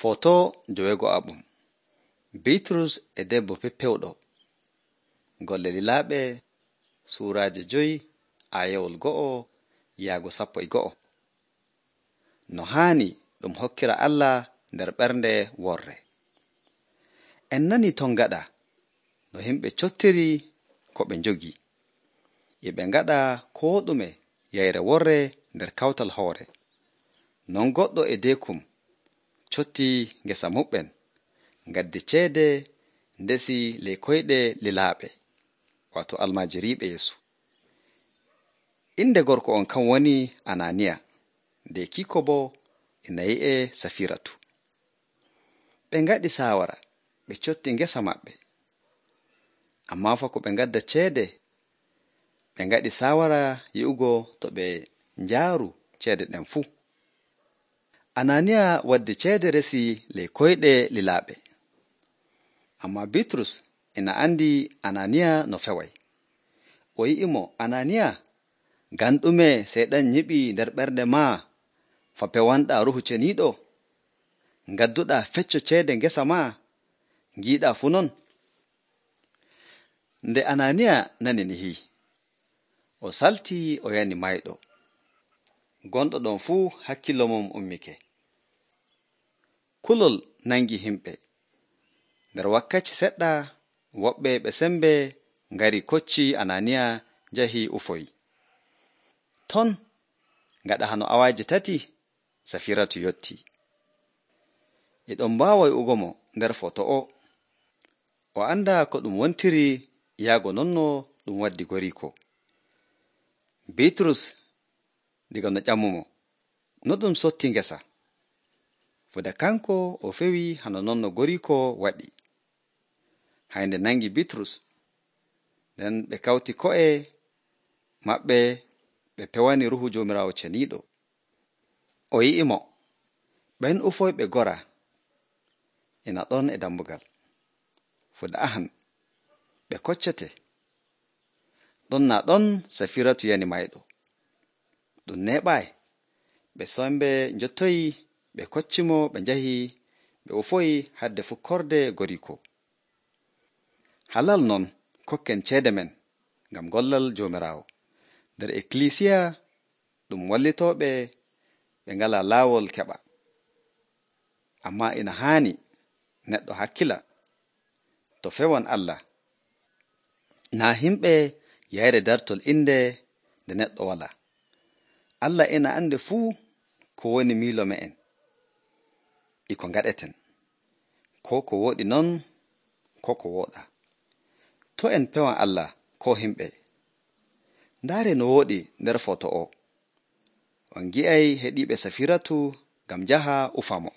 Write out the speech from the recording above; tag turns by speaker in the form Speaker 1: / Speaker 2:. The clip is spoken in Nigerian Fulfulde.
Speaker 1: Foto jowego abum. Bitrus e debbo peppewɗo. Golle lilaaɓe suuraaje 5 ayewol 1 yaago 11. No haani ɗum hokkira Allah nder ɓernde worre. En nani ton gaɗa no himɓe cottiri ko ɓe njogi. E ɓe ngaɗa koo ɗume yayre worre nder kawtal hoore. Non goɗɗo e deekum cotti ngesa muɓɓen, ngaddi ceede ndesi ley koyɗe lilaaɓe, wato almaajiriiɓe Yeesu. Inde gorko on kan woni Ananiya, nde kiiko boo ina yi'e Safiratu. Ɓe ngaɗi saawara, ɓe cotti ngesa maɓɓe. Ammaa fa ko ɓe ngadda ceede, ɓe ngaɗi saawara yi'ugo to ɓe njaaru ceede ɗen fuu. Ananiya waddi ceede resi ley koyɗe lilaaɓe. Ammaa Bitrus ina andi Ananiya no feway. O yi'imo, Ananiya, ngam ɗume Seyɗan nyiɓii nder ɓernde maa fa pewanɗaa Ruuhu Ceniiɗo? Ngadduɗaa fecco ceede ngesa maa, ngiiɗaa fu non? Nde Ananiya nani nihi, o saltii o yani mayɗo. Gonɗo ɗon fuu hakkilo mum ummike. Kulol nangi himɓe. Nder wakkati seɗɗa, woɓɓe ɓe sembe ngari kocci Ananiya njahi ufoyi. Ton gaɗa hano awaaji 3, Safiratu yotti. E ɗon mbaawa wi'ugo mo nder foto o anda ko ɗum wontiri yaago nonno ɗum waddi goriko. Bitrus diga no ƴamumo, no ɗum sotti ngesa. Fuda kanko o fewi hano nonno goriko waɗi. Haynde nangi Bitrus, nden ɓe kawti ko'e maɓɓe ɓe pewani Ruuhu Joomiraawo Ceniiɗo. O yi'imo, ɓen ufoyɓe gora ina ɗon e dambugal. Fuda ahan, ɓe koccete. Ɗon naa ɗon Safiratu yani mayɗo. Ɗum neeɓaay. Ɓe sembe njottoyi, ɓe koccimo, ɓe njahi, ɓe ufoyi hadde fukkorde goriko. Halal non kokken ceede men ngam gollal Joomiraawo. Nder ekkilisiya ɗum wallitooɓe ɓe ngalaa laawol keɓa. Ammaa ina haani neɗɗo hakkila to fewan Allah. Naa himɓe yayre dartol inde nde neɗɗo walaa. Allah ina ande fuu ko woni miilo me'en e ko ngaɗeten, ko ko woɗi non, ko ko wooɗa. To en pewan Allah ko himɓe, ndaare no wooɗi nder foto on gi'ay heɗiiɓe Safiratu ngam njaha ufamo.